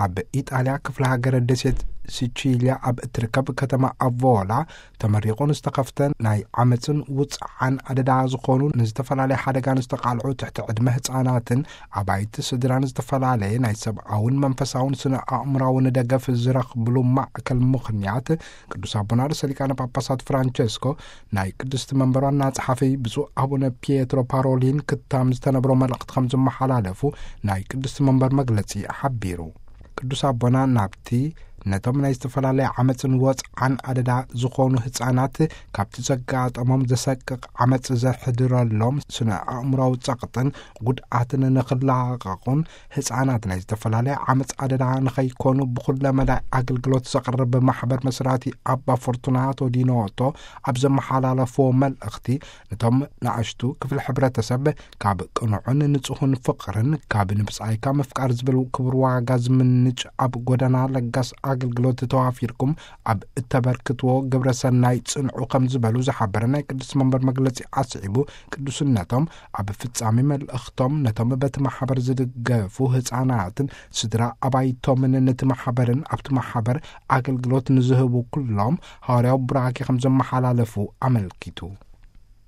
ኣብ ኢጣልያ ክፍለ ሃገር ደሴት ሲቺልያ ኣብ እትርከብ ከተማ ኣቮላ ተመሪቑ ንዝተኸፍተ ናይ ዓመፅን ውፅዓን ኣደዳ ዝኾኑ ንዝተፈላለየ ሓደጋ ንዝተቓልዑ ትሕቲ ዕድመ ህፃናትን ኣባይቲ ስድራን ዝተፈላለየ ናይ ሰብኣውን መንፈሳውን ስነ ኣእምራውን ደገፍ ዝረኽብሉ ማእከል ምኽንያት ቅዱስ ኣቦና ርእሰ ሊቃነ ጳጳሳት ፍራንቸስኮ ናይ ቅድስቲ መንበር ዋና ጸሓፊ ብፁዕ ኣቡነ ፒየትሮ ፓሮሊን ክታም ዝተነብሮ መልእኽቲ ከም ዝመሓላለፉ ናይ ቅድስቲ መንበር መግለጺ ሓቢሩ። ቅዱስ ኣቦና ናብቲ ነቶም ናይ ዝተፈላለየ ዓመፅን ወፅዓን ኣደዳ ዝኾኑ ህፃናት ካብቲ ዘጋጠሞም ዘሰቅቕ ዓመፅ ዘሕድረሎም ስነ ኣእምራዊ ጸቕጥን ጉድኣትን ንኽላቐቑን ህፃናት ናይ ዝተፈላለየ ዓመፅ ኣደዳ ንኸይኮኑ ብኩለ መዳይ ኣገልግሎት ዘቕርብ ማሕበር መስራቲ ኣባ ፎርቱናቶ ዲኖቶ ኣብ ዘመሓላለፍዎ መልእኽቲ፣ ነቶም ንኣሽቱ ክፍሊ ሕብረተሰብ ካብ ቅኑዕን ንጹህን ፍቕርን ካብ ንብጻይካ ምፍቃር ዝብል ክቡር ዋጋ ዝምንጭ ኣብ ጎደና ለጋስ ኣገልግሎት ተዋፊርኩም ኣብ እተበርክትዎ ግብረ ሰናይ ጽንዑ ከም ዝበሉ ዝሓበረ ናይ ቅዱስ መንበር መግለጺ ኣስዒቡ፣ ቅዱስነቶም ኣብ ፍጻሜ መልእኽቶም ነቶም በቲ ማሕበር ዝድገፉ ህፃናትን ስድራ ኣባይቶምን ነቲ ማሕበርን ኣብቲ ማሕበር ኣገልግሎት ንዝህቡ ኩሎም ሃዋርያዊ ቡራኬ ከም ዘመሓላለፉ ኣመልኪቱ።